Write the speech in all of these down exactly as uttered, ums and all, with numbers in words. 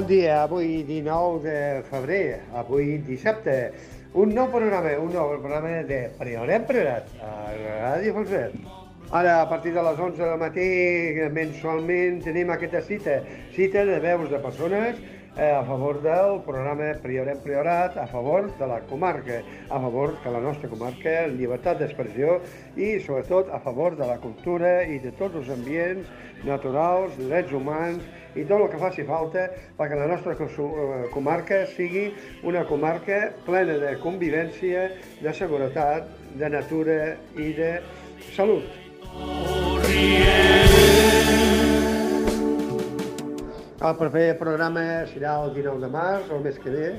Bon dia, avui dinou de febrer, avui dissabte, un nou programa, un nou programa de Priorat Priorat, a Ràdio Falset. Ara, a partir de les onze del matí, mensualment, tenim aquesta cita, cita de veus de persones eh, a favor del programa Priorat Priorat, a favor de la comarca, a favor que la nostra comarca, llibertat d'expressió i, sobretot, a favor de la cultura i de tots els ambients naturals, drets humans i tot el que faci falta perquè la nostra comarca sigui una comarca plena de convivència, de seguretat, de natura i de salut. El proper programa serà el dinou de març, el mes que ve,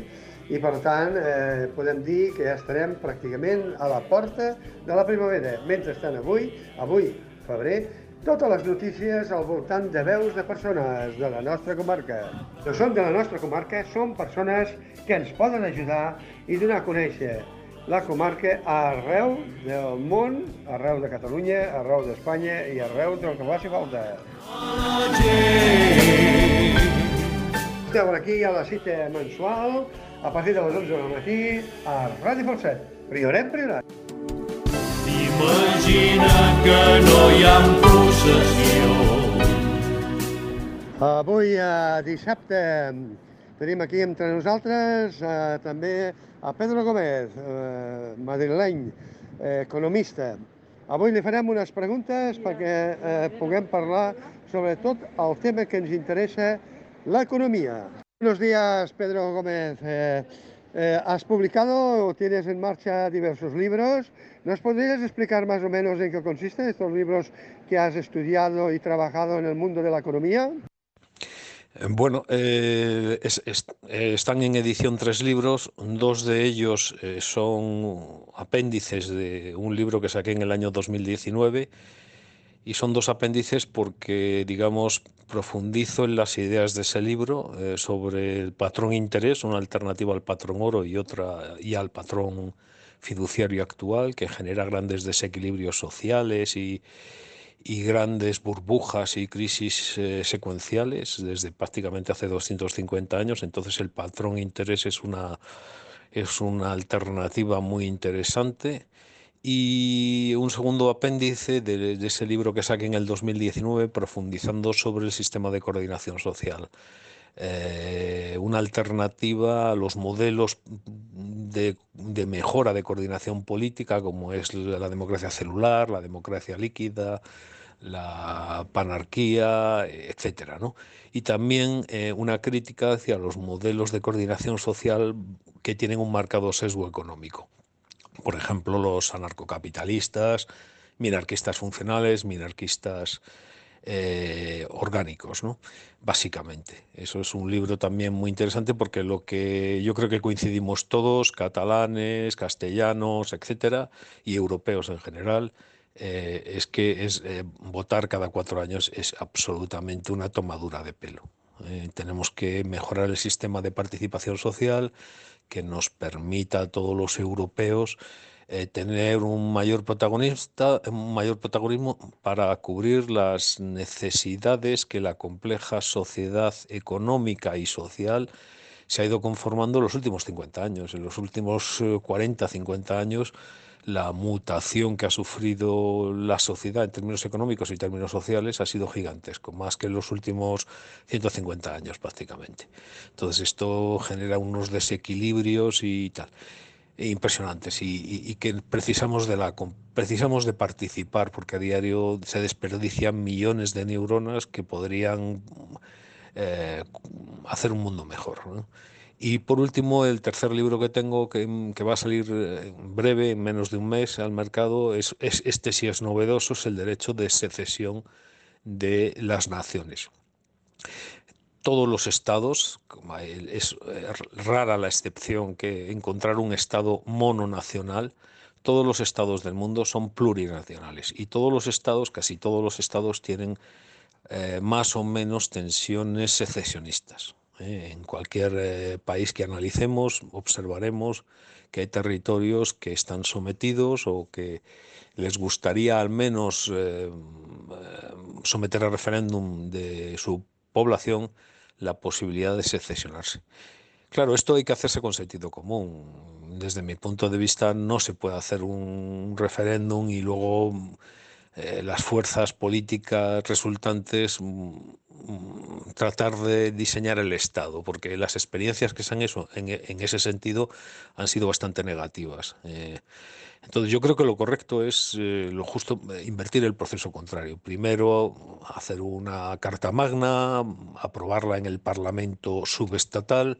i per tant eh, podem dir que ja estarem pràcticament a la porta de la primavera. Mentrestant avui, avui, febrer, totes les notícies al voltant de veus de persones de la nostra comarca. No són de la nostra comarca, són persones que ens poden ajudar i donar a conèixer la comarca arreu del món, arreu de Catalunya, arreu d'Espanya i arreu del que faci falta. Esteu aquí a la cita mensual, a partir de les onze del matí, a Ràdio Falset. Priorat, priorat. Imagina que no hi ha possessió. Avui, eh, dissabte, tenim aquí entre nosaltres eh, també a Pedro Gómez, eh, madrileny, eh, economista. Avui li farem unes preguntes perquè eh, puguem parlar sobre tot el tema que ens interessa, l'economía. Buenos días, Pedro Gómez. Eh, eh, has publicado o tienes en marcha diversos libros. ¿Nos podrías explicar más o menos en qué consisten estos libros que has estudiado y trabajado en el mundo de la economía? Bueno, eh, es, es, eh, están en edición tres libros. Dos de ellos eh, son apéndices de un libro que saqué en el año dos mil diecinueve. Y son dos apéndices porque, digamos, profundizo en las ideas de ese libro eh, sobre el patrón interés, una alternativa al patrón oro y otra y al patrón fiduciario actual, que genera grandes desequilibrios sociales y, y grandes burbujas y crisis eh, secuenciales desde prácticamente hace doscientos cincuenta años. Entonces el patrón interés es una, es una alternativa muy interesante. Y un segundo apéndice de, de ese libro que saqué en el dos mil diecinueve, profundizando sobre el sistema de coordinación social. Eh, una alternativa a los modelos de, de mejora de coordinación política, como es la democracia celular, la democracia líquida, la panarquía, etcétera, ¿no? Y también eh, una crítica hacia los modelos de coordinación social que tienen un marcado sesgo económico. Por ejemplo, los anarcocapitalistas, minarquistas funcionales, minarquistas eh, orgánicos, ¿no? Básicamente. Eso es un libro también muy interesante porque lo que yo creo que coincidimos todos, catalanes, castellanos, etcétera, y europeos en general, eh, es que es, eh, votar cada cuatro años es absolutamente una tomadura de pelo. Eh, tenemos que mejorar el sistema de participación social que nos permita a todos los europeos eh, tener un mayor protagonista, un mayor protagonismo para cubrir las necesidades que la compleja sociedad económica y social se ha ido conformando en los últimos cincuenta años. En los últimos cuarenta, cincuenta años, la mutación que ha sufrido la sociedad en términos económicos y términos sociales ha sido gigantesco, más que en los últimos ciento cincuenta años prácticamente. Entonces esto genera unos desequilibrios y tal, impresionantes, y, y, y que precisamos de, la, precisamos de participar, porque a diario se desperdician millones de neuronas que podrían eh, hacer un mundo mejor, ¿no? Y por último, el tercer libro que tengo, que, que va a salir en breve, en menos de un mes, al mercado, es, es este sí es novedoso, es el derecho de secesión de las naciones. Todos los estados, es rara la excepción que encontrar un estado mononacional, todos los estados del mundo son plurinacionales y todos los estados, casi todos los estados tienen eh, más o menos tensiones secesionistas. En cualquier eh, país que analicemos, observaremos que hay territorios que están sometidos o que les gustaría al menos eh, someter a referéndum de su población la posibilidad de secesionarse. Claro, esto hay que hacerse con sentido común. Desde mi punto de vista, no se puede hacer un referéndum y luego eh, las fuerzas políticas resultantes mm, mm, tratar de diseñar el Estado, porque las experiencias que se han hecho en, en ese sentido han sido bastante negativas. Eh, entonces yo creo que lo correcto es eh, lo justo, eh, invertir el proceso contrario. Primero hacer una carta magna, aprobarla en el Parlamento subestatal,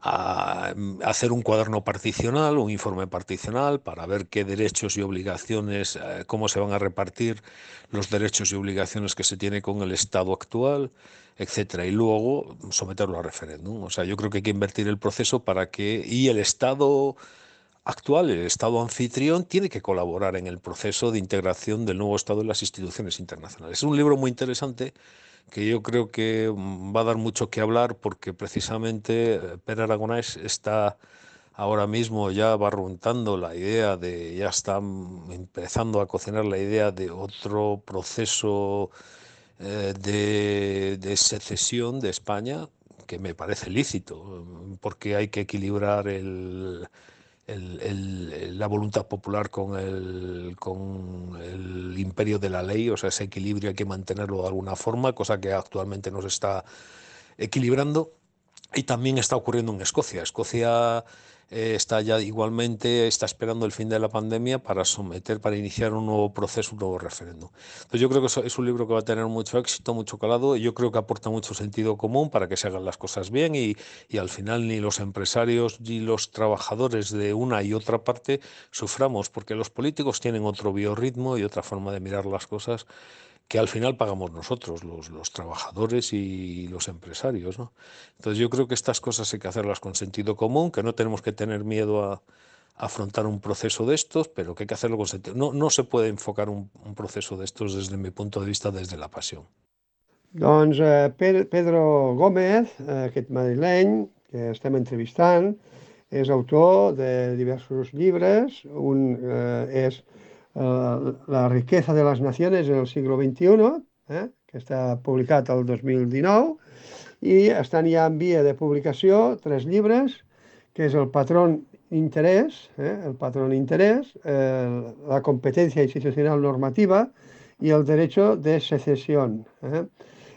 a hacer un cuaderno particional, un informe particional para ver qué derechos y obligaciones, eh, cómo se van a repartir los derechos y obligaciones que se tiene con el Estado actual, etcétera, y luego someterlo a referéndum. O sea, yo creo que hay que invertir el proceso para que y el Estado actual, el Estado anfitrión, tiene que colaborar en el proceso de integración del nuevo Estado en las instituciones internacionales. Es un libro muy interesante que yo creo que va a dar mucho que hablar porque precisamente eh, Pere Aragonés está ahora mismo ya barruntando la idea de, ya está empezando a cocinar la idea de otro proceso eh, de, de secesión de España, que me parece lícito, porque hay que equilibrar el, el, el, la voluntad popular con el, con el imperio de la ley, o sea, ese equilibrio hay que mantenerlo de alguna forma, cosa que actualmente no se está equilibrando. Y también está ocurriendo en Escocia. Escocia eh, está ya igualmente, está esperando el fin de la pandemia para someter, para iniciar un nuevo proceso, un nuevo referéndum. Entonces yo creo que es un libro que va a tener mucho éxito, mucho calado, y yo creo que aporta mucho sentido común para que se hagan las cosas bien y, y al final ni los empresarios ni los trabajadores de una y otra parte suframos, porque los políticos tienen otro biorritmo y otra forma de mirar las cosas que al final pagamos nosotros, los, los trabajadores y los empresarios, ¿no? Entonces yo creo que estas cosas hay que hacerlas con sentido común, que no tenemos que tener miedo a, a afrontar un proceso de estos, pero que hay que hacerlo con sentido. No, no se puede enfocar un, un proceso de estos desde mi punto de vista, desde la pasión. Doncs eh, Pedro Gómez, eh, aquest madrileny que estem entrevistant, és autor de diversos llibres. Un eh, és eh, La riqueza de las naciones en el siglo veintiuno, eh, que està publicat el dos mil dinou, i estan ja en via de publicació tres llibres, que és El patrón interés, eh, el patrón interés, eh, La competencia institucional normativa i El derecho de secesión, eh,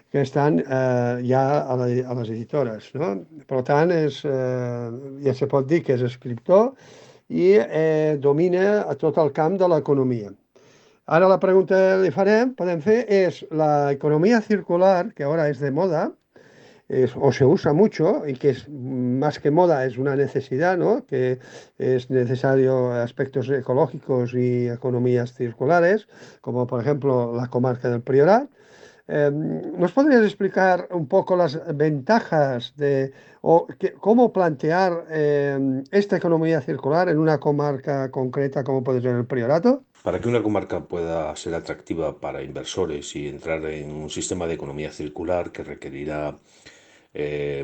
que estan eh, ja a, la, a les editores, no? Per tant, és, eh, ja se pot dir que és escriptor i eh, domina a tot el camp de l'economia. Ara la pregunta que li farem, podem fer, és la economía circular, que ahora es de moda, es, o se usa mucho y que es más que moda, es una necesidad, ¿no? Que es necesario aspectos ecológicos y economías circulares, como por ejemplo la comarca del Priorat. Eh, ¿Nos podrías explicar un poco las ventajas de o que, cómo plantear eh, esta economía circular en una comarca concreta como puede ser el Priorato? Para que una comarca pueda ser atractiva para inversores y entrar en un sistema de economía circular que requerirá eh,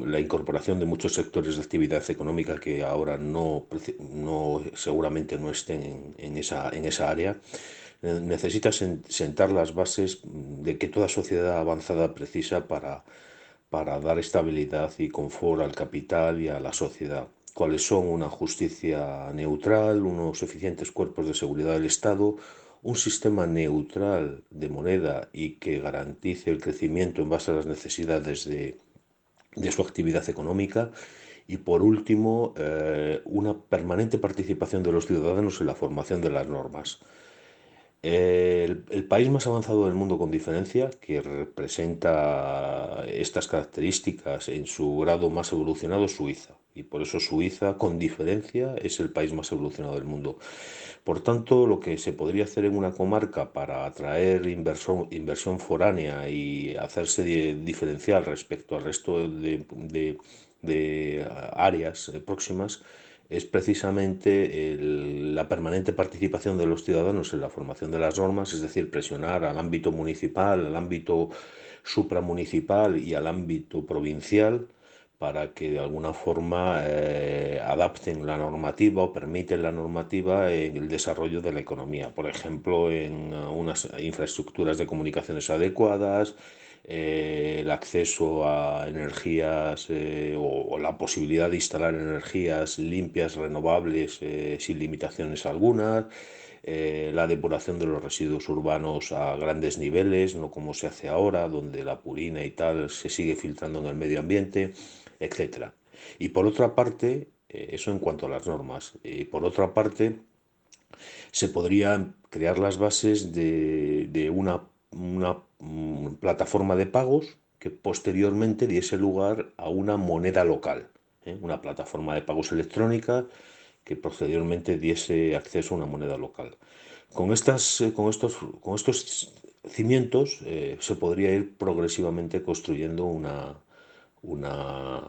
la incorporación de muchos sectores de actividad económica que ahora no, no seguramente no estén en, en, esa, en esa área, necesita sentar las bases de que toda sociedad avanzada precisa para, para dar estabilidad y confort al capital y a la sociedad. Cuáles son una justicia neutral, unos eficientes cuerpos de seguridad del Estado, un sistema neutral de moneda y que garantice el crecimiento en base a las necesidades de, de su actividad económica. Y por último, eh, una permanente participación de los ciudadanos en la formación de las normas. El, el país más avanzado del mundo con diferencia, que representa estas características en su grado más evolucionado, es Suiza. Y por eso Suiza, con diferencia, es el país más evolucionado del mundo. Por tanto, lo que se podría hacer en una comarca para atraer inversión, inversión foránea y hacerse de, diferencial respecto al resto de, de, de áreas próximas, es precisamente el, la permanente participación de los ciudadanos en la formación de las normas, es decir, presionar al ámbito municipal, al ámbito supramunicipal y al ámbito provincial para que de alguna forma eh, adapten la normativa o permiten la normativa en el desarrollo de la economía. Por ejemplo, en unas infraestructuras de comunicaciones adecuadas, eh, el acceso a energías eh, o, o la posibilidad de instalar energías limpias, renovables, eh, sin limitaciones algunas, eh, la depuración de los residuos urbanos a grandes niveles, no como se hace ahora, donde la purina y tal se sigue filtrando en el medio ambiente, etcétera. Y por otra parte, eh, eso en cuanto a las normas, y por otra parte, se podrían crear las bases de, de una, una mm, plataforma de pagos que posteriormente diese lugar a una moneda local, ¿eh? Una plataforma de pagos electrónica que posteriormente diese acceso a una moneda local. Con, estas, eh, con, estos, con estos cimientos eh, se podría ir progresivamente construyendo una, una,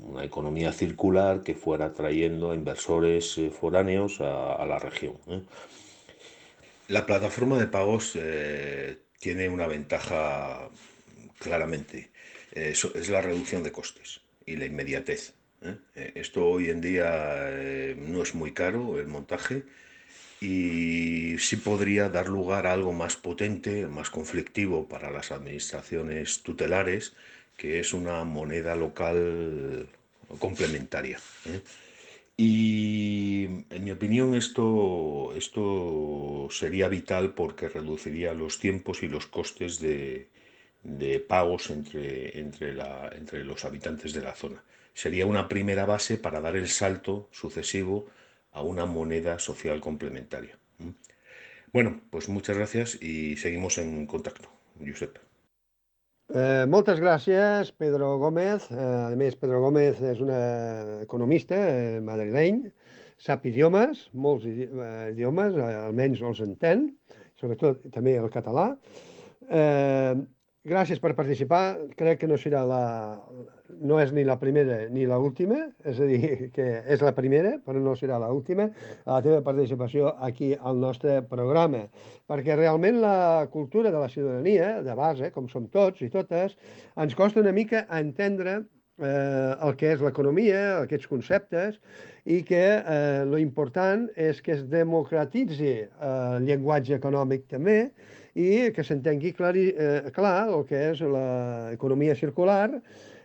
una economía circular que fuera trayendo a inversores eh, foráneos a, a la región, ¿eh? La plataforma de pagos eh, tiene una ventaja claramente, eh, eso es la reducción de costes y la inmediatez, ¿eh? Eh, Esto hoy en día eh, no es muy caro el montaje y sí podría dar lugar a algo más potente, más conflictivo para las administraciones tutelares, que es una moneda local complementaria, ¿eh? Y en mi opinión esto, esto sería vital porque reduciría los tiempos y los costes de, de pagos entre, entre, la, entre los habitantes de la zona. Sería una primera base para dar el salto sucesivo a una moneda social complementaria. ¿Mm? Bueno, pues muchas gracias y seguimos en contacto, Josep. Eh, moltes gràcies, Pedro Gómez. Eh, a més, Pedro Gómez és un economista eh, madrileny, sap idiomes, molts idi eh, idiomes, eh, almenys els entén, sobretot també el català. Eh, gràcies per participar. Crec que no serà la... no és ni la primera ni l'última, és a dir, que és la primera, però no serà l'última, la teva participació aquí al nostre programa, perquè realment la cultura de la ciutadania, de base, com som tots i totes, ens costa una mica entendre eh, el que és l'economia, aquests conceptes, i que eh, lo important és que es democratitzi eh, el llenguatge econòmic també i que s'entengui clar, eh, clar el que és l'economia circular.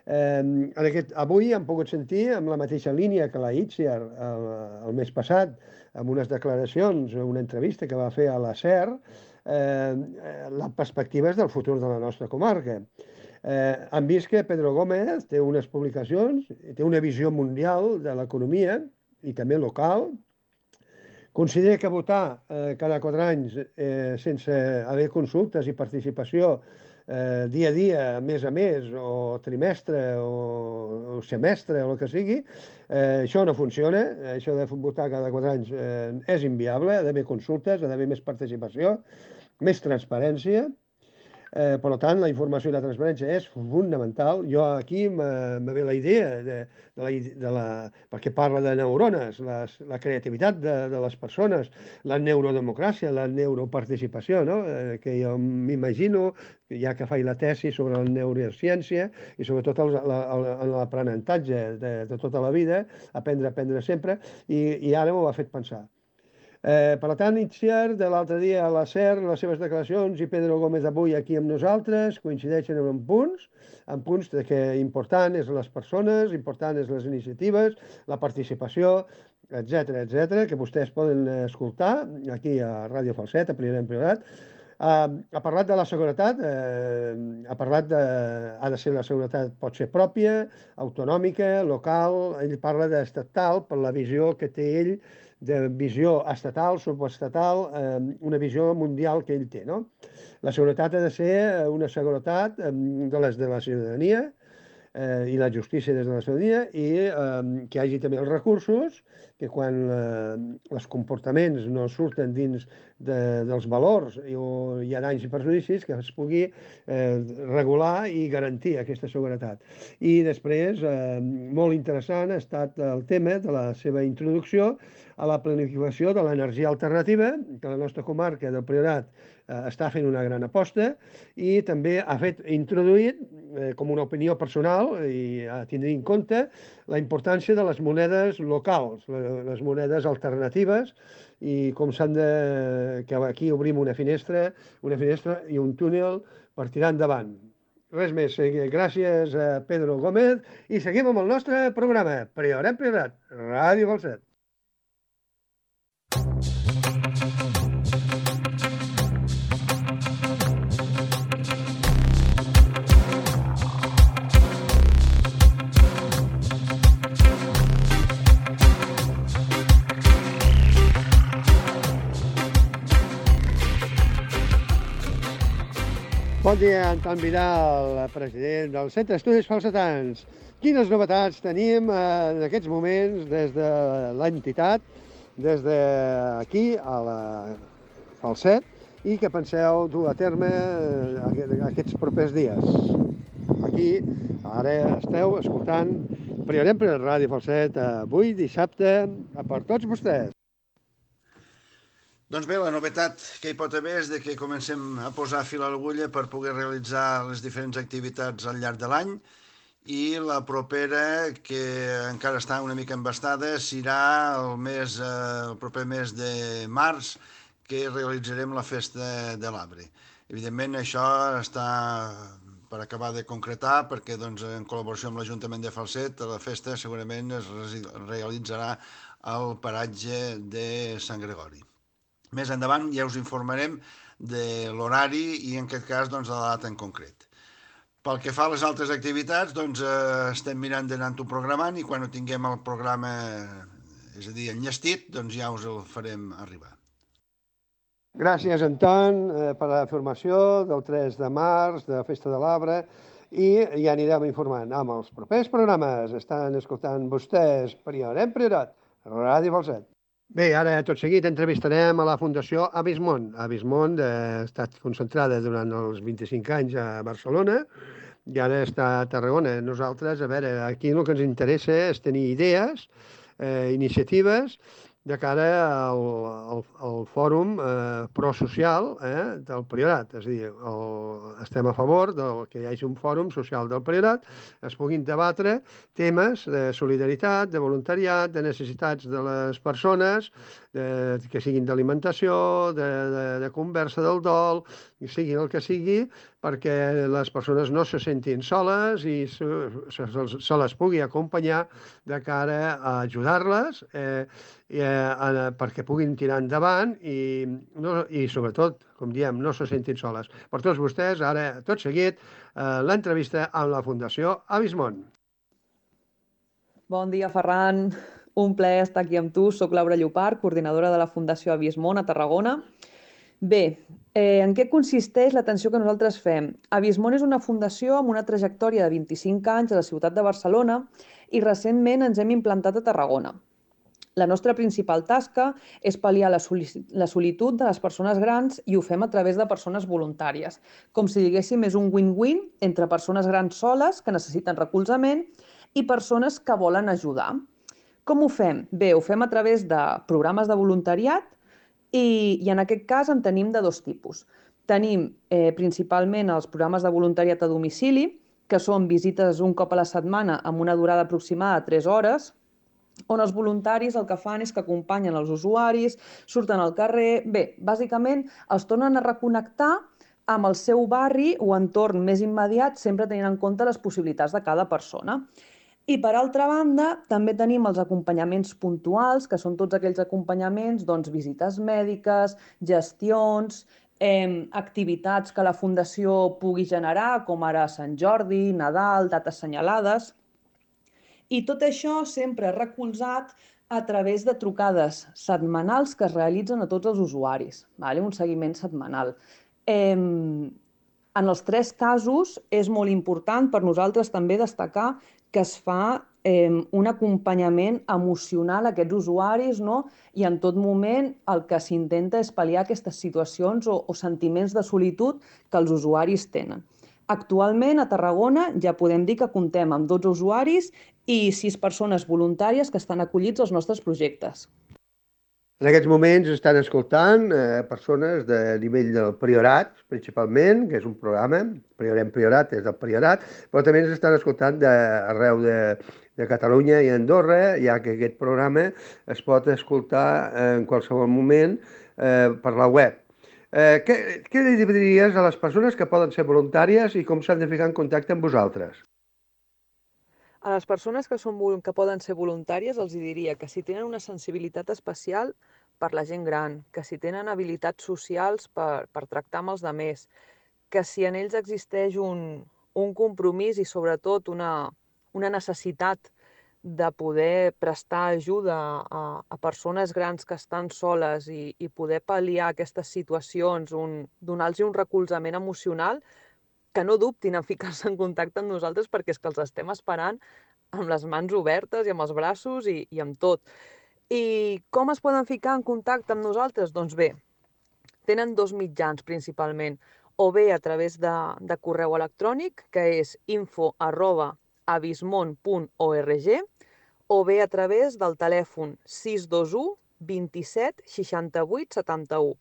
Eh, en aquest, avui hem pogut sentir amb la mateixa línia que la Itziar el, el mes passat, amb unes declaracions, una entrevista que va fer a la SER, eh, les perspectives del futur de la nostra comarca. Eh, hem vist que Pedro Gómez té unes publicacions, té una visió mundial de l'economia i també local. Considera que votar eh, cada quatre anys eh, sense haver consultes i participació eh, dia a dia, mes a mes, o trimestre, o, o semestre, o el que sigui, eh, això no funciona. Això de votar cada quatre anys eh, és inviable. Ha d'haver consultes, ha d'haver més participació, més transparència. Eh, per tant, la informació i la transparència és fonamental. Jo aquí me ve la idea, de, de la, de la, perquè parla de neurones, les, la creativitat de, de les persones, la neurodemocràcia, la neuroparticipació, no? eh, que jo m'imagino, ja que faig la tesi sobre la neurociència i sobretot l'aprenentatge de, de tota la vida, aprendre, aprendre sempre, i, i ara m'ho ha fet pensar. Eh, per tant, Itziar, de l'altre dia a la SER, les seves declaracions, i Pedro Gómez avui aquí amb nosaltres, coincideixen en punts, en punts de que important és les persones, important és les iniciatives, la participació, etcètera, etcètera, que vostès poden escoltar aquí a Ràdio Falset, a Priorat en Priorat. Uh, ha parlat de la seguretat, uh, ha parlat de... ha de ser la seguretat, pot ser pròpia, autonòmica, local, ell parla d'estatal per la visió que té ell, de visió estatal, subestatal, eh, una visió mundial que ell té, no? La seguretat ha de ser una seguretat eh, de les de la ciutadania eh, i la justícia des de la ciutadania i eh, que hi hagi també els recursos, que quan eh, els comportaments no surten dins de, dels valors i o hi ha danys i perjudicis, que es pugui eh, regular i garantir aquesta seguretat. I després, eh, molt interessant ha estat el tema de la seva introducció a la planificació de l'energia alternativa, que la nostra comarca del Priorat eh, està fent una gran aposta i també ha fet introduït, eh, com una opinió personal i a tindre en compte, la importància de les monedes locals, les monedes alternatives, i com s'han de... que aquí obrim una finestra, una finestra i un túnel per tirar endavant. Res més. Gràcies a Pedro Gómez i seguim amb el nostre programa. Priorat, Priorat, Ràdio Falset. Bon dia, Anton Vidal, president del Centre d'Estudis Falsetans. Quines novetats tenim en aquests moments des de l'entitat, des d'aquí a la Falset, i que penseu dur a terme aquests propers dies? Aquí, ara esteu escoltant Priorem per Ràdio Falset, avui dissabte, per tots vostès. Doncs bé, la novetat que hi pot haver és de que comencem a posar fil a l'agulla per poder realitzar les diferents activitats al llarg de l'any i la propera, que encara està una mica embastada, serà el, mes, el proper mes de març, que realitzarem la festa de l'arbre. Evidentment, això està per acabar de concretar, perquè doncs, en col·laboració amb l'Ajuntament de Falset, la festa segurament es realitzarà al paratge de Sant Gregori. Més endavant ja us informarem de l'horari i en aquest cas doncs, de la data en concret. Pel que fa a les altres activitats, doncs, eh, estem mirant d'anar-ho programant i quan ho tinguem el programa, és a dir, enllestit, doncs ja us el farem arribar. Gràcies, Anton, eh, per la informació del tres de març, de la Festa de l'Arbre, i ja anirem informant amb els propers programes. Estan escoltant vostès Priorem Priorat, Ràdio Falset. Bé, ara tot seguit entrevistarem a la Fundació Abismont. Abismont ha estat concentrada durant els vint-i-cinc anys a Barcelona i ara està a Tarragona. Nosaltres, a veure, aquí el que ens interessa és tenir idees, eh, iniciatives de cara al, al, al fòrum eh, prosocial eh, del Priorat. És a dir, el, estem a favor del, que hi hagi un fòrum social del Priorat, es puguin debatre temes de solidaritat, de voluntariat, de necessitats de les persones, de, que siguin d'alimentació, de, de, de conversa del dol, i sigui el que sigui, perquè les persones no se sentin soles i se, se, se les pugui acompanyar de cara a ajudar-les eh, i, eh, perquè puguin tirar endavant i, no, i sobretot, com diem, no se sentin soles. Per tots vostès, ara, tot seguit, eh, l'entrevista amb la Fundació Abismont. Bon dia, Ferran. Un plaer estar aquí amb tu. Soc Laura Llopart, coordinadora de la Fundació Abismont a Tarragona. Bé, eh, en què consisteix l'atenció que nosaltres fem? Abismont és una fundació amb una trajectòria de vint-i-cinc anys a la ciutat de Barcelona i recentment ens hem implantat a Tarragona. La nostra principal tasca és pal·liar la solitud de les persones grans i ho fem a través de persones voluntàries. Com si diguéssim, és un win-win entre persones grans soles que necessiten recolzament i persones que volen ajudar. Com ho fem? Bé, ho fem a través de programes de voluntariat i, i en aquest cas en tenim de dos tipus. Tenim eh, principalment els programes de voluntariat a domicili, que són visites un cop a la setmana amb una durada aproximada de tres hores, on els voluntaris el que fan és que acompanyen els usuaris, surten al carrer. Bé, bàsicament els tornen a reconnectar amb el seu barri o entorn més immediat, sempre tenint en compte les possibilitats de cada persona. I per altra banda, també tenim els acompanyaments puntuals, que són tots aquells acompanyaments, doncs, visites mèdiques, gestions, eh, activitats que la Fundació pugui generar, com ara Sant Jordi, Nadal, dates assenyalades. I tot això sempre recolzat a través de trucades setmanals que es realitzen a tots els usuaris, vale? Un seguiment setmanal. Eh, en els tres casos és molt important per nosaltres també destacar que es fa eh, un acompanyament emocional a aquests usuaris, no? I en tot moment el que s'intenta és pal·liar aquestes situacions o, o sentiments de solitud que els usuaris tenen. Actualment, a Tarragona, ja podem dir que comptem amb dotze usuaris i sis persones voluntàries que estan acollits als nostres projectes. En aquests moments estan escoltant eh, persones de nivell del Priorat, principalment, que és un programa, Priorem Priorat és del Priorat, però també ens estan escoltant d'arreu de, de Catalunya i Andorra, ja que aquest programa es pot escoltar en qualsevol moment eh, per la web. Eh, què, què li diries a les persones que poden ser voluntàries i com s'han de ficar en contacte amb vosaltres? A les persones que, són, que poden ser voluntàries els diria que si tenen una sensibilitat especial per la gent gran, que si tenen habilitats socials per, per tractar amb els altres, que si en ells existeix un, un compromís i sobretot una, una necessitat de poder prestar ajuda a, a persones grans que estan soles i, i poder pal·liar aquestes situacions, un, donar-los un recolzament emocional, que no dubtin en ficar-se en contacte amb nosaltres perquè és que els estem esperant amb les mans obertes i amb els braços i, i amb tot. I com es poden ficar en contacte amb nosaltres? Doncs bé, tenen dos mitjans principalment, o bé a través de, de correu electrònic, que és info arroba abismon punt org, o bé a través del telèfon sis dos u vint-i-set seixanta-vuit setanta-u.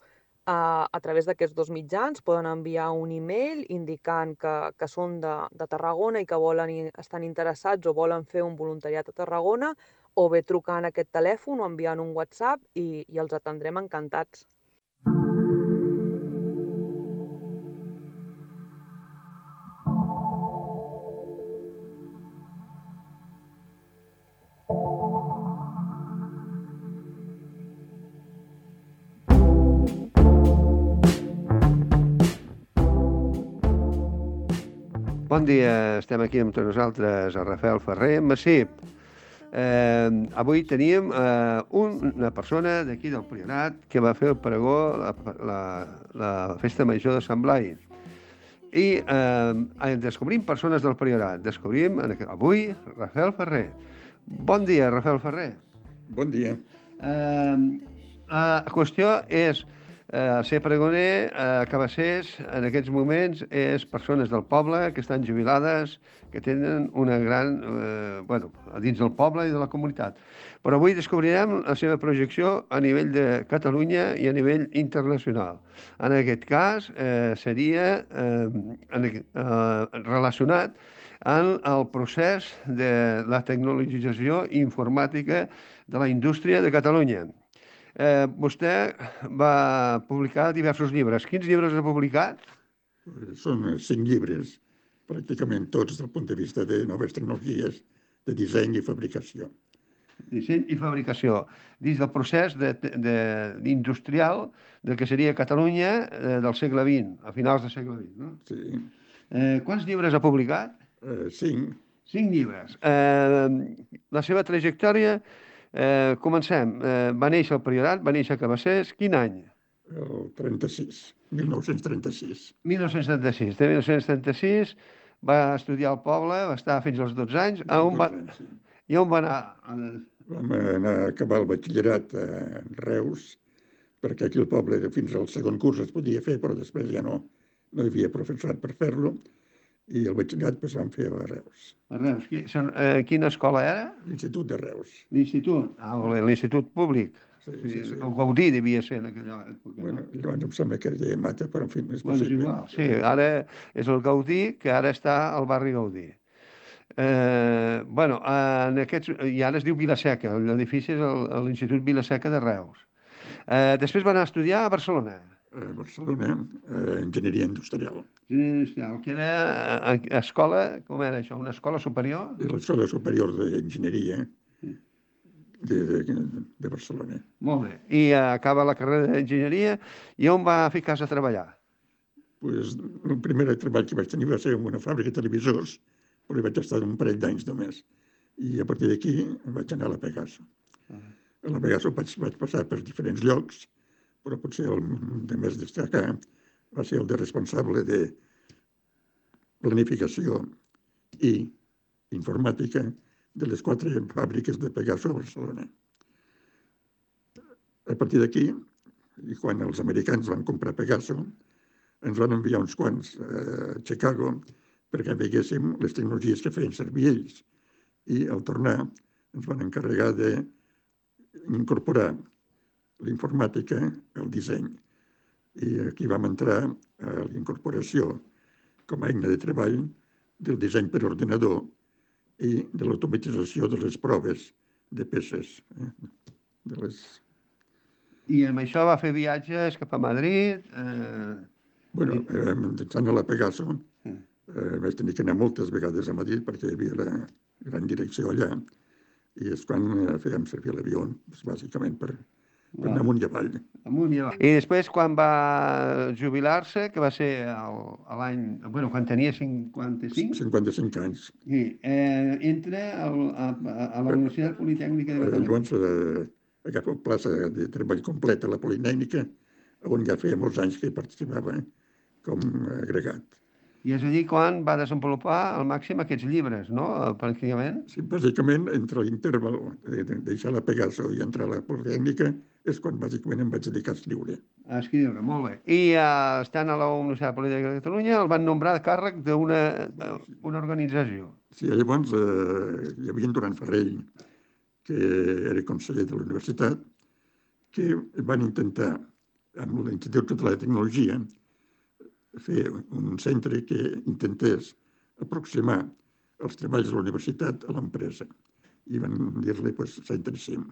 A, a través d'aquests dos mitjans poden enviar un e-mail indicant que, que són de, de Tarragona i que volen, estan interessats o volen fer un voluntariat a Tarragona, o bé trucant a aquest telèfon o enviant un WhatsApp i, i els atendrem encantats. Bon dia, estem aquí amb tots nosaltres, el Rafael Ferrer, Massip. Eh, avui teníem eh, una persona d'aquí del Priorat que va fer el pregó, la, la, la festa major de Sant Blai. I eh, descobrim persones del Priorat. Descobrim avui Rafael Ferrer. Bon dia, Rafael Ferrer. Bon dia. Eh, la qüestió és eh, ser pregoner a Cabassers en aquests moments és persones del poble que estan jubilades, que tenen una gran... Eh, bueno, a dins del poble i de la comunitat. Però avui descobrirem la seva projecció a nivell de Catalunya i a nivell internacional. En aquest cas eh, seria eh, en, eh, relacionat en el procés de la tecnologització informàtica de la indústria de Catalunya. Eh, vostè va publicar diversos llibres. Quins llibres ha publicat? Són cinc llibres, pràcticament tots des del punt de vista de noves tecnologies de disseny i fabricació. Disseny i fabricació, dins del procés de, de, industrial del que seria Catalunya eh, del segle vint, a finals del segle vint. No? Sí. Eh, quants llibres ha publicat? Eh, cinc. Cinc llibres. Eh, la seva trajectòria, eh, comencem. Eh, va néixer al Priorat, va néixer a Cabassers. Quin any? El trenta-sis, mil nou-cents trenta-sis. mil nou-cents trenta-sis. De mil nou-cents trenta-sis va estudiar al poble, va estar fins als dotze anys. A on va... I on va anar? Vam anar a acabar el batxillerat a Reus, perquè aquí al poble fins al segon curs es podia fer, però després ja no, no hi havia professorat per fer-lo, i el batxillerat pues, vam fer a Reus. A Reus. Eh, quina escola era? L'Institut de Reus. L'Institut? Ah, l'Institut Públic. Sí, sí, sí. El Gaudí devia ser en aquella època. Bueno, llavors em sembla que era Mata, però en fi, és bueno, possible. Igual. Sí, ara és el Gaudí, que ara està al barri Gaudí. Eh, bueno, en aquests, i ara es diu Vilaseca, l'edifici és l'Institut Vilaseca de Reus. Eh, després va anar a estudiar a Barcelona. A Barcelona, eh, enginyeria industrial. Industrial, que era a, a escola, com era això, una escola superior? L'escola superior d'enginyeria de, de, de Barcelona. Molt bé. I acaba la carrera d'enginyeria i on va ficar-se a treballar? Pues, el primer treball que vaig tenir va ser en una fàbrica de televisors, però hi vaig estar un parell d'anys només. I a partir d'aquí vaig anar a la Pegaso. Uh -huh. A la Pegaso vaig, vaig passar per diferents llocs, però potser el de més destacar va ser el de responsable de planificació i informàtica de les quatre fàbriques de Pegaso a Barcelona. A partir d'aquí, i quan els americans van comprar Pegaso, ens van enviar uns quants a Chicago perquè veiéssim les tecnologies que feien servir ells. I al tornar ens van encarregar d'incorporar l'informàtica al disseny. I aquí vam entrar a la incorporació com a eina de treball del disseny per ordenador i de l'automatització de les proves de peces. Eh? De les... I amb això va fer viatges cap a Madrid. Eh... Bueno, eh, mitjançant a la Pegaso, eh, vaig tenir que anar moltes vegades a Madrid perquè hi havia la gran direcció allà, i és quan eh, fèiem servir l'avió, doncs, bàsicament per, per anar amunt i avall. Amunt i avall. I després, quan va jubilar-se, que va ser el, a l'any... Bueno, quan tenia cinquanta-cinc? cinquanta-cinc anys. Sí, eh, entra al, a, a la Universitat Politècnica de Catalunya. Llavors eh, agafo plaça de treball complet a la Politècnica, on ja feia molts anys que hi participava com agregat. I és allí quan va desenvolupar al màxim aquests llibres, no?, pràcticament? Sí, bàsicament, entre l'interval de deixar la Pegaso i entrar a la Politècnica és quan bàsicament em vaig dedicar a escriure. A escriure, molt bé. I uh, estant a la Universitat Politècnica de Catalunya el van nombrar de càrrec d'una una organització. Sí, llavors eh, hi havia en Duran Ferrell, que era conseller de la universitat, que van intentar, amb l'Institut Català de Tecnologia, fer un centre que intentés aproximar els treballs de la universitat a l'empresa. I van dir-li, doncs, Centre CIM.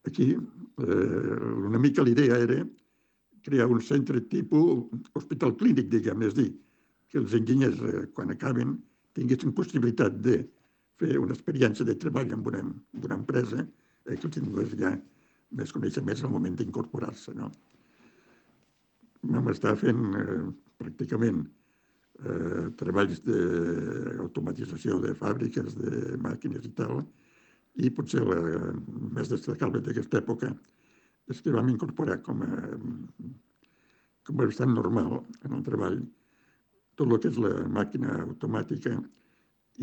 Aquí, eh, una mica l'idea era crear un centre tipus hospital clínic, diguem, és dir, que els enginyers, eh, quan acaben, tinguessin possibilitat de fer una experiència de treball en una, en una empresa, eh, que els tingués ja més coneixements al moment d'incorporar-se, no? Vam estar fent eh, pràcticament eh, treballs d'automatització de fàbriques, de màquines i tal, i potser la més destacable d'aquesta època és que vam incorporar com a, com a bastant normal en el treball tot el que és la màquina automàtica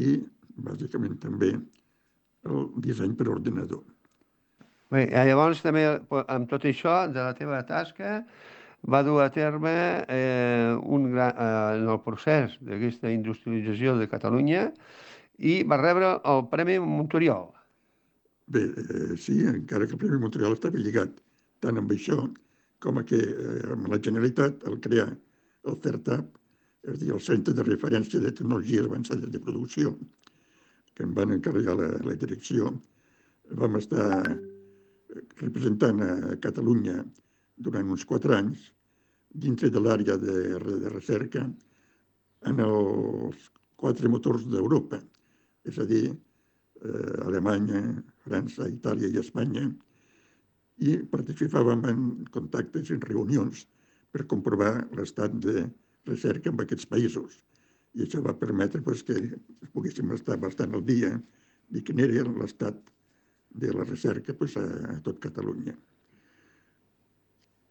i, bàsicament, també el disseny per ordinador. Bé, llavors també, amb tot això, de la teva tasca, va dur a terme eh, un gran, eh, en el procés d'aquesta industrialització de Catalunya i va rebre el Premi Monturiol. Bé, eh, sí, encara que el Premi Monturiol estava lligat tant amb això com a que eh, amb la Generalitat, al crear el CERTAP, és a dir, el Centre de Referència de Tecnologies Avançades de Producció, que em van encarregar la, la direcció, vam estar representant a Catalunya durant uns quatre anys dintre de l'àrea de, de recerca en els quatre motors d'Europa, és a dir, eh, Alemanya, França, Itàlia i Espanya, i participàvem en contactes i en reunions per comprovar l'estat de recerca en aquests països. I això va permetre pues, que poguéssim estar bastant al dia de quin era l'estat de la recerca pues, a, a tot Catalunya.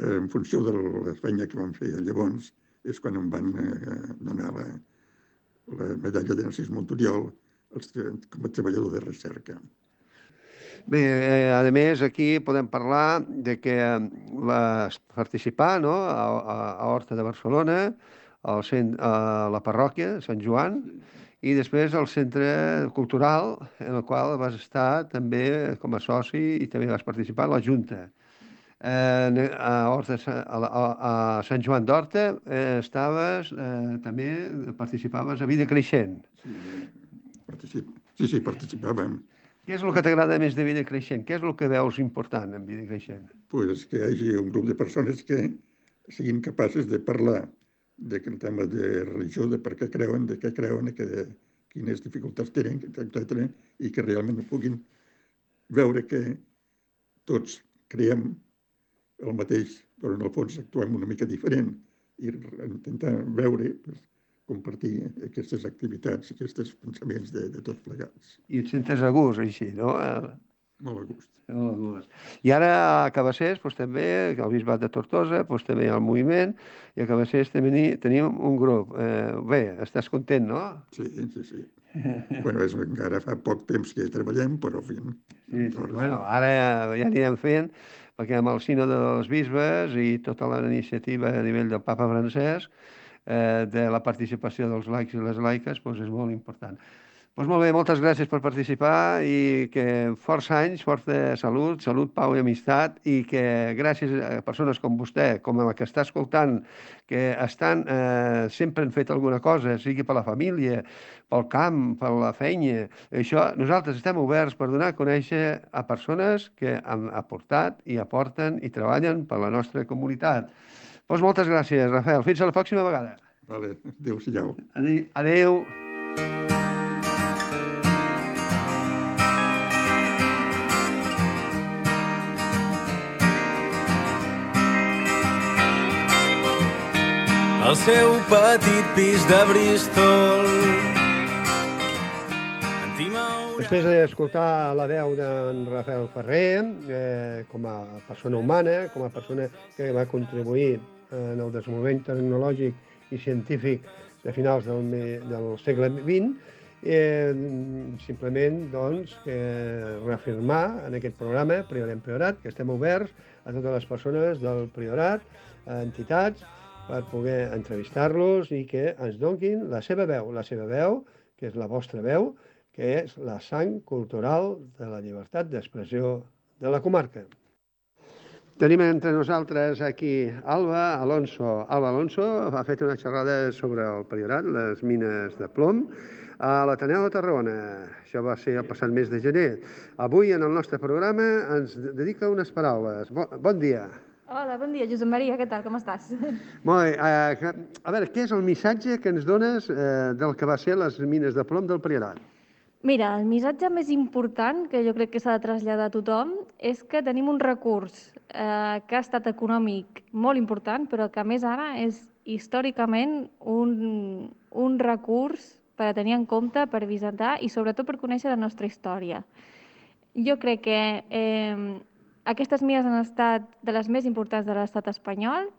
En funció de la feina que vam fer llavors, és quan em van eh, donar la, la medalla de Narcís Monturiol als, com a treballador de recerca. Bé, eh, a més, aquí podem parlar de que vas participar, no?, a, a, a Horta de Barcelona, al cent, a la parròquia de Sant Joan, i després al centre cultural, en el qual vas estar també com a soci i també vas participar a la Junta. Eh, a, Horta, a, a, a Sant Joan d'Horta eh, estaves, eh, també participaves a Vida Creixent. Sí, particip... sí, sí, participàvem. Què és el que t'agrada més de Vida Creixent? Què és el que veus important en Vida Creixent? Pues que hi hagi un grup de persones que siguin capaces de parlar del tema de religió, de per què creuen, de què creuen, que, de quines dificultats tenen, etcètera, i que realment puguin veure que tots creiem el mateix, però en el fons actuem una mica diferent i intentar veure, pues, compartir aquestes activitats, aquests pensaments de, de tots plegats. I et sentes a gust, així, no? Molt a gust. Molt a gust. I ara a Cabassers, doncs, també, el Bisbat de Tortosa, doncs, també hi ha el moviment, i a Cabassers també tenim un grup. Eh, bé, estàs content, no? Sí, sí, sí. Bueno, és, encara fa poc temps que treballem, però en fi... Sí, sí. Bueno, ara ja anirem fent, perquè amb el Sino dels Bisbes i tota la iniciativa a nivell del Papa Francesc, eh, de la participació dels laics i les laiques, doncs és molt important. Doncs molt bé, moltes gràcies per participar i que força anys, força salut, salut, pau i amistat i que gràcies a persones com vostè, com la que està escoltant, que estan, eh, sempre han fet alguna cosa, sigui per la família, pel camp, per la feina, això, nosaltres estem oberts per donar a conèixer a persones que han aportat i aporten i treballen per la nostra comunitat. Doncs moltes gràcies, Rafael. Fins a la pròxima vegada. Vale, adéu-siau. Adéu. Adéu. al seu petit pis de Bristol. Després d'escoltar la veu d'en Rafael Ferrer, eh, com a persona humana, com a persona que va contribuir en el desenvolupament tecnològic i científic de finals del, del segle vint, eh, simplement doncs, eh, reafirmar en aquest programa Priorem Priorat que estem oberts a totes les persones del Priorat, a entitats, per poder entrevistar-los i que ens donin la seva veu, la seva veu, que és la vostra veu, que és la sang cultural de la llibertat d'expressió de la comarca. Tenim entre nosaltres aquí Alba Alonso. Alba Alonso ha fet una xerrada sobre el Priorat, les mines de plom, a l'Ateneu de Tarragona. Això va ser el passat mes de gener. Avui, en el nostre programa, ens dedica unes paraules. Bon, bon dia. Hola, bon dia, Josep Maria, què tal, com estàs? Molt bé, eh, a veure, què és el missatge que ens dones eh, del que va ser les mines de plom del Priorat? Mira, el missatge més important que jo crec que s'ha de traslladar a tothom és que tenim un recurs eh, que ha estat econòmic molt important, però que a més ara és històricament un, un recurs per a tenir en compte, per visitar i sobretot per conèixer la nostra història. Jo crec que eh, aquestes mines han estat de les més importants de l'estat espanyol,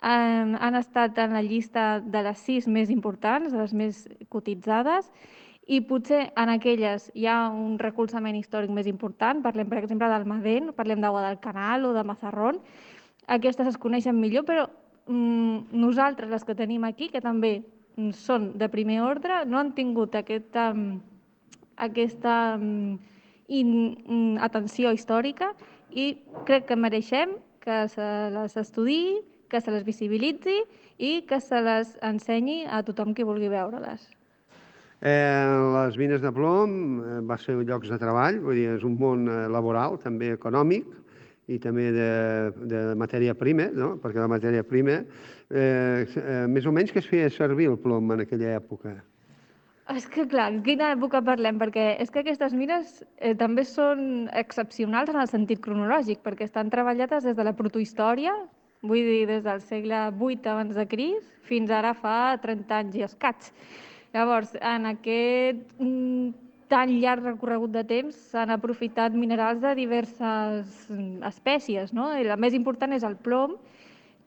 han, han estat en la llista de les sis més importants, de les més cotitzades, i potser en aquelles hi ha un recolzament històric més important, parlem per exemple d'Almadén, parlem de Guadalcanal o de Mazarrón, aquestes es coneixen millor, però mm, nosaltres, les que tenim aquí, que també són de primer ordre, no han tingut aquesta, aquesta in, atenció històrica i crec que mereixem que se les estudiï, que se les visibilitzi i que se les ensenyi a tothom qui vulgui veure-les. Eh, les mines de plom eh, va ser llocs de treball, vull dir, és un món eh, laboral, també econòmic i també de, de matèria prima, no? Perquè la matèria prima, eh, eh, més o menys que es feia servir el plom en aquella època. És que, clar, en quina època parlem? Perquè és que aquestes mines eh, també són excepcionals en el sentit cronològic, perquè estan treballades des de la protohistòria, vull dir, des del segle vuit abans de Crist fins ara fa trenta anys i escaig. Llavors, en aquest mm, tan llarg recorregut de temps s'han aprofitat minerals de diverses espècies, no? I la més important és el plom,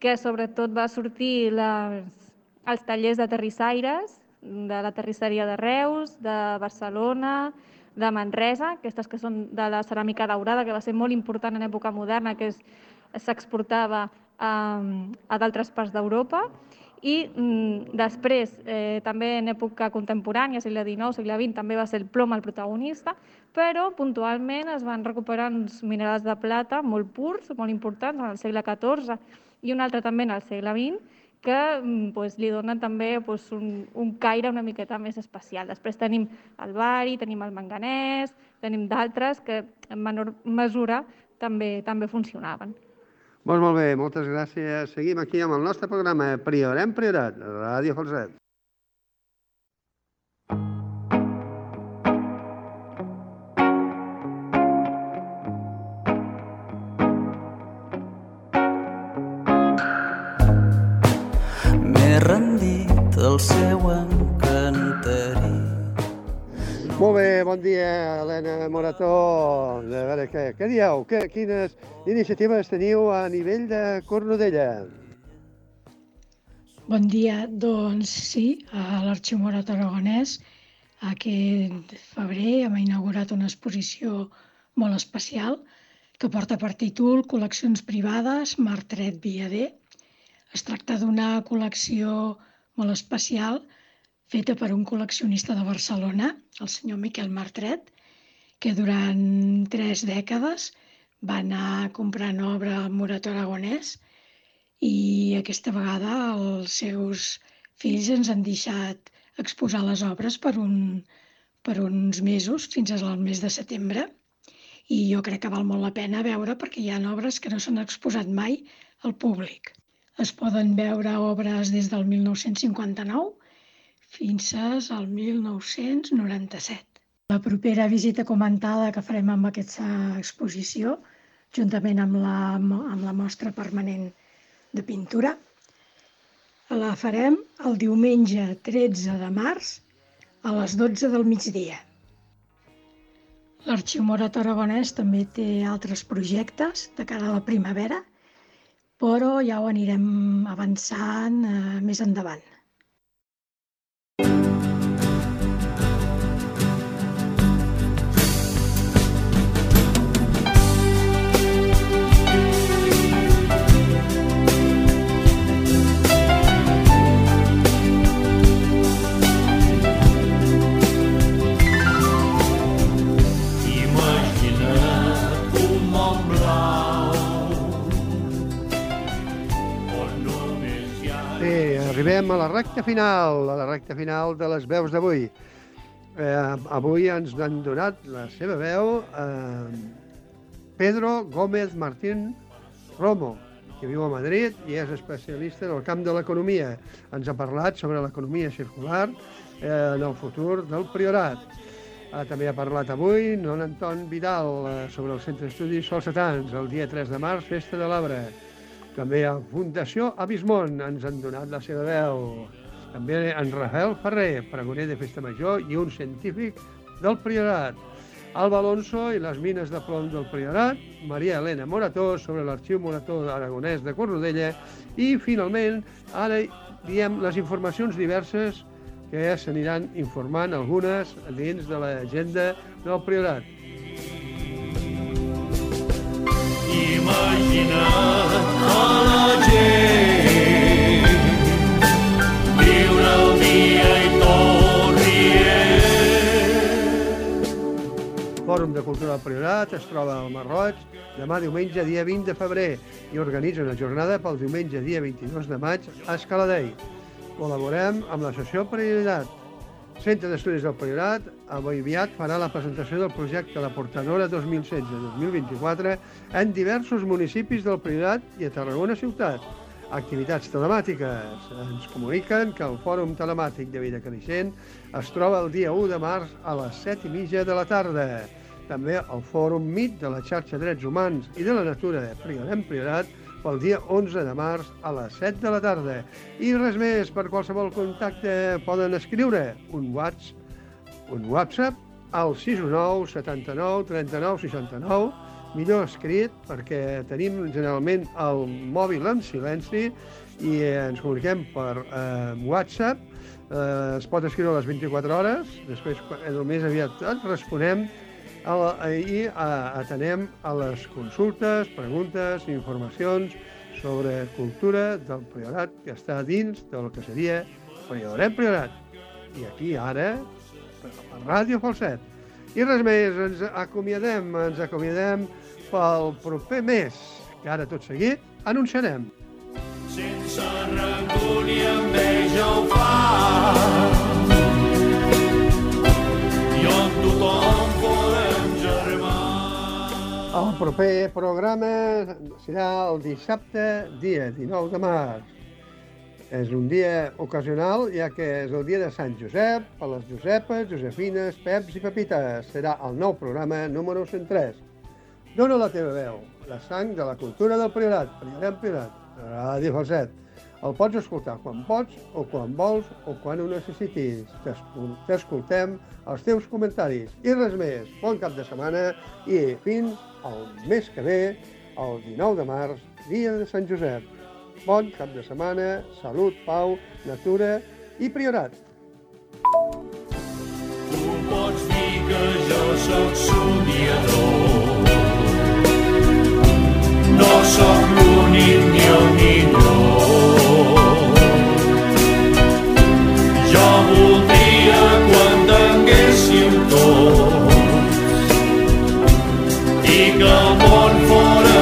que sobretot va sortir les, als tallers de terrissaires, de la terrisseria de Reus, de Barcelona, de Manresa, aquestes que són de la ceràmica daurada, que va ser molt important en època moderna, que s'exportava a, a d'altres parts d'Europa. I mm, després, eh, també en època contemporània, segle dinou, segle vint, també va ser el plom el protagonista, però puntualment es van recuperar uns minerals de plata molt purs, molt importants, en el segle catorze, i un altre també en el segle vint, que pues, li donen també pues, un, un caire una miqueta més especial. Després tenim el bari, tenim el manganès, tenim d'altres que en menor mesura també, també funcionaven. Doncs molt bé, moltes gràcies. Seguim aquí amb el nostre programa Priorem Priorat, Ràdio Falset. Rendit el seu encanteri. Molt bé, bon dia, Helena Morató. A veure, què, què dieu? Que, quines iniciatives teniu a nivell de Cornudella? Bon dia, doncs sí, a l'Arxiu Morató Aragonès aquest febrer hem inaugurat una exposició molt especial que porta per títol Col·leccions privades Martret Viader. Es tracta d'una col·lecció molt especial feta per un col·leccionista de Barcelona, el senyor Miquel Martret, que durant tres dècades va anar comprant obra al Morató Aragonès i aquesta vegada els seus fills ens han deixat exposar les obres per, un, per uns mesos, fins al mes de setembre, i jo crec que val molt la pena veure perquè hi ha obres que no s'han exposat mai al públic. Es poden veure obres des del mil nou-cents cinquanta-nou fins al mil nou-cents noranta-set. La propera visita comentada que farem amb aquesta exposició, juntament amb la, amb la mostra permanent de pintura, la farem el diumenge tretze de març a les dotze del migdia. L'Arxiu Morató Aragonès també té altres projectes de cara a la primavera, però ja ho anirem avançant eh, més endavant. Arribem a la recta final, a la recta final de les veus d'avui. Eh, avui ens han donat la seva veu eh, Pedro Gómez Martín Romo, que viu a Madrid i és especialista en el camp de l'economia. Ens ha parlat sobre l'economia circular eh, en el futur del Priorat. Eh, també ha parlat avui non Anton Vidal eh, sobre el Centre d'Estudis Solsetans, el dia tres de març, Festa de l'Arbre. També a Fundació Abismón ens han donat la seva veu. També en Rafael Ferrer, pregoner de Festa Major i un científic del Priorat. Alba Alonso i les mines de plom del Priorat. Maria Elena Morató sobre l'Arxiu Morató Aragonès de Cornudella. I, finalment, ara diem les informacions diverses que s'aniran informant algunes dins de l'agenda del Priorat. Imagina't a la gent viure el dia i tot rient. Fòrum de Cultura del Priorat es troba al Marroig demà diumenge dia vint de febrer i organitza una jornada pel diumenge dia vint-i-dos de maig a Escaladei. Col·laborem amb l'associació Priorat. Centre d'Estudis del Priorat aviat farà la presentació del projecte La Portadora dos mil setze dos mil vint-i-quatre en diversos municipis del Priorat i a Tarragona ciutat. Activitats telemàtiques. Ens comuniquen que el Fòrum Telemàtic de Vida Creixent es troba el dia u de març a les set i mitja de la tarda. També el Fòrum M I T de la xarxa Drets Humans i de la Natura de Priorem Priorat pel dia onze de març a les set de la tarda. I res més, per qualsevol contacte poden escriure un WhatsApp, un WhatsApp al sis u nou setanta-nou trenta-nou seixanta-nou, millor escrit perquè tenim generalment el mòbil en silenci i ens comuniquem per eh, WhatsApp. Eh, es pot escriure a les vint-i-quatre hores, després el més aviat ens responem a la, i a, atenem a les consultes, preguntes i informacions sobre cultura del Priorat que està dins del que seria Priorem Priorat. I aquí ara, per la Ràdio Falset. I res més, ens acomiadem, ens acomiadem pel proper mes, que ara tot seguit anunciarem. Sense rancor ni enveja ho fa, i on tothom podem germar. El proper programa serà el dissabte, dia dinou de març. És un dia ocasional, ja que és el dia de Sant Josep, per les Josepes, Josefines, Peps i Pepites. Serà el nou programa número cent tres. Dóna la teva veu, la sang de la cultura del Priorat, Priorem Priorat, Ràdio Falset. El pots escoltar quan pots, o quan vols, o quan ho necessitis. T'escoltem els teus comentaris. I res més, bon cap de setmana i fins al mes que ve, el dinou de març, dia de Sant Josep. Bon cap de setmana, salut, pau, natura i Priorat. Tu pots dir que jo sóc somiador, no sóc l'únic ni el millor. Jo voldria estic al món fora